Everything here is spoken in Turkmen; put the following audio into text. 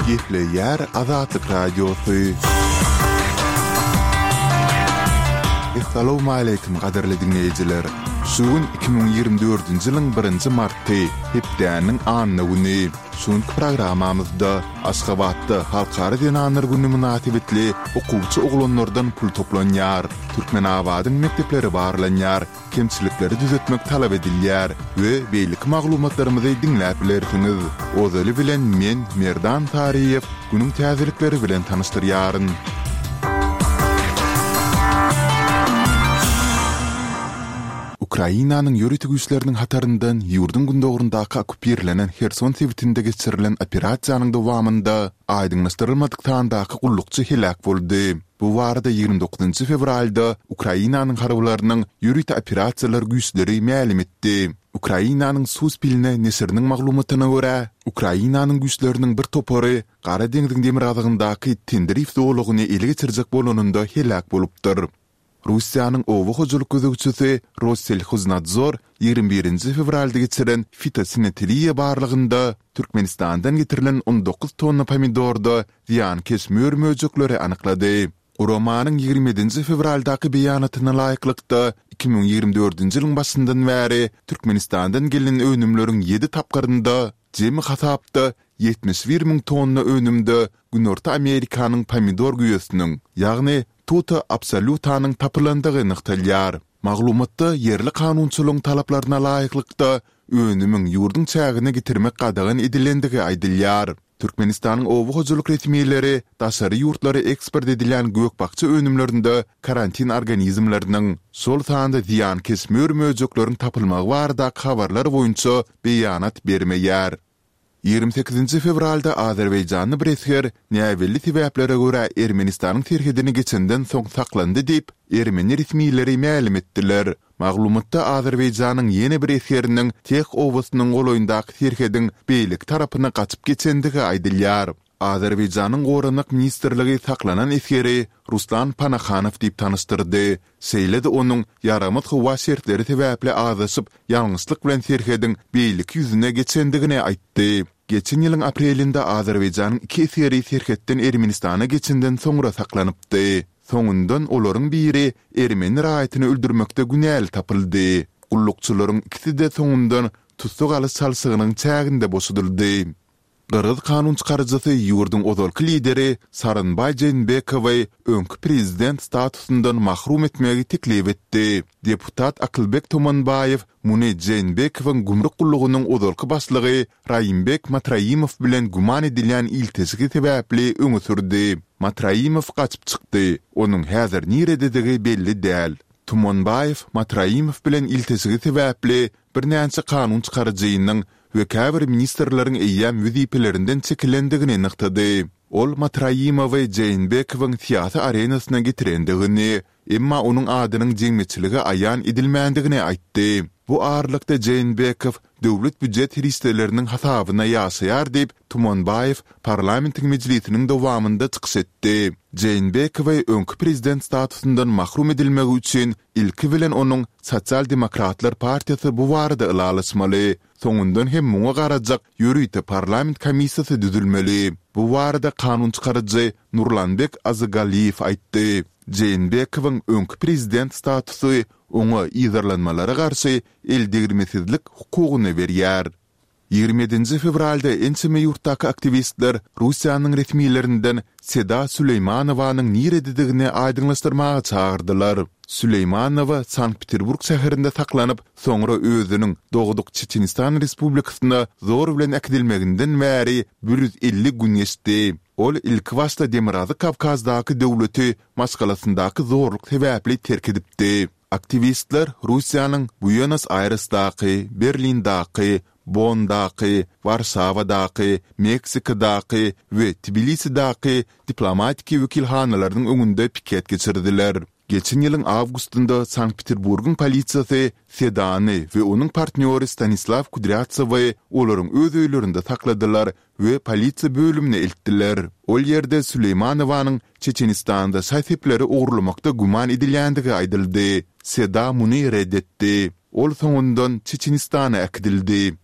Gepleýär Azatlyk Radiosy. Essalawmaleýkim gadyrly diňleýjiler! Şu gün 2024-nji ýylyň birinji marty, hepdäniň anna güni. Şu günki programmamyzda Aşgabatda Halkara zenanlar güni mynasybetli okuwçy oglanlardan pul toplanýar, Türkmenabadyň mekdepleri barlanýar, kemçilikleri düzetmek talap edilýär we beýleki maglumatlarymyzy diňläp bilersiňiz. Ozaly bilen men, Merdan Saryýew, günüň täzelikleri bilen tanyşdyrýaryn. Ukrainanyň ýörite güýçleriniň hataryndan ýurduň gündogaryndaky okkupirlenen Herson sebitinde geçirilen operasiýanyň dowamynda aýdyňlaşdyrylmadyk sandaky gullukçy heläk boldy. Bu barada 29 fewralda Ukrainanyň harbylarynyň ýörite operasiýalar güýçleri mälim etdi. Ukrainanyň Suspilne neşiriniň maglumatyna görä, Ukrainanyň güýçleriniň bir topary Gara deňziň demirgazygyndaky Tendrif zolagyny ele geçirjek bolanynda heläk bolupdyr. Russiýanyň oba hojalyk gözegçisi Rosselhoznadzor 21-nji fewralda geçiren fitosanitariýa barlagynda Türkmenistandan getirilen 19 tonna pomidorda zyýankeş mör-möjekleri anyklady. Guramanyň 27-nji fewraldaky beýanatyna laýyklykda, 2024-nji ýylyň başyndan bäri Türkmenistandan gelen önümleriň ýedi tapgyrynda jemi hasapda 71 müň tonna önümde Günorta Amerikanyň pomidor güýesiniň, ýagny Tuta absolutanyň tapylandygy nygtalýar. Maglumatda ýerli kanunçylygyň talaplaryna laýyklykda, önümiň ýurduň çägine getirmek gadagan edilendigi aýdylýar. Türkmenistanyň oba hojalyk resmileri daşary ýurtlara eksport edilýän gök-bakja önümlerinde karantin organizmleriniň, şol sanda zyýankeş mör-möjekleriň tapylmagy baradaky habarlar boýunça beýanat bermeýär. 28-nji fewralda azerbaýjanly bir esger näbelli sebäplere görä Ermenistanyň serhedini geçenden soň saklandy diýip, ermeni resmileri mälim etdiler. Maglumatda Azerbaýjanyň ýene bir esgeriniň Teh obasynyň golaýyndaky serhediň beýleki tarapyna gaçyp geçendigi aýdylýar. Azerbaýjanyň Goranmak ministrligi saklanan esgeri Ruslan Panahanow diýip tanyşdyrdy. Şeýle-de onuň ýaramaz howa şertleri sebäpli azaşyp, ýalňyşlyk bilen serhediň beýleki ýüzüne geçendigini aýtdy. Geçen ýylyň aprelinde Azerbaýjanyň iki esgeri serhetden Ermenistana geçenden soňra saklanypdy. Soňundan olaryň biri ermeni raýatyny öldürmekde günäli tapyldy. Gullukçylaryň ikisi-de soňundan tussag alyş çalşygynyň çäginde boşadyldy. Gyrgyz kanunçykaryjysy ýurduň ozalky lideri Sooronbaý Jeenbekowy öňki prezident statusyndan mahrum etmegi teklip etdi. Deputat Akylbek Tomonbaýew muny Jeenbekowyň gümrük gullugynyň ozalky başlygy Raimbek Matraimow bilen güman edilýän ilteşigi sebäpli öňe sürdi. Matraimow gaçyp çykdy, onuň häzir nirededigi belli däl. Tumanbaýew Matraimow bilen ilteşigi sebäpli birnäçe kanun çykaryjynyň we käbir ministrleriň eýýäm wezipelerinden çekilendigini nygtady. Ol Matraimowy Jeenbekowyň syýasy arenasyna getirendigini, emma onuň adynyň jemgyýetçilige aýan edilmändigini aýtdy. Bu aralykda Jeenbekow döwlet býujet serişdeleriniň hasabyna ýaşaýar diýip, Tumanbaýew parlamentiň mejlisiniň dowamynda çykyş etdi. Jeenbekowy öňki prezident statusyndan mahrum edilmegi üçin Ilki bilen onuň Sosial demokratlar partiýasy bu barada ylalaşmaly, soňundan hem muňa garajak ýörite parlament komissiýasy düzülmeli. Bu barada kanun çykaryjy Nurlanbek Azygalyýew aýtdy. Jeenbekowyň öňki prezident statusy oňa yzarlanmalara garşy eldegrilmesizlik hukugyny berýär. 27-nji fewralda ençeme ýurtdaky aktiwistler Russiýanyň resmilerinden Seda Süleýmanowanyň nirededigini aýdyňlaşdyrmaga çagyrdylar. Süleýmanowa Sankt-Peterburg şäherinde saklanyp, soňra özüniň dogduk Çeçenistan Respublikasyna zor bilen äkidilmeginden bäri 150 gün geçdi. Ol ilkibaşda Demirgazyk Kawkazdaky döwleti maşgalasyndaky zorluk sebäpli terk edipdi. Aktiwistler Russiýanyň Buenos-Aýresdaky, Berlindaky, Bonndaky, Warşawadaky, Meksikadaky we Tbilisidaky diplomatiki wekilhanalarynyň öňünde piket geçirdiler. Geçen ýylyň awgustynda Sankt-Peterburgyň polisiýasy Sedany we onuň partnýory Stanislaw Kudrýatsowy olaryň öz öýlerinde sakladylar we polisiýa bölümine eltdiler. Ol ýerde Süleýmanowanyň Çeçenistanda şaý-sepleri ogurlamakda güman edilýändigi aýdyldy. Seda muny ret etdi. Ol soňundan Çeçenistana äkidildi.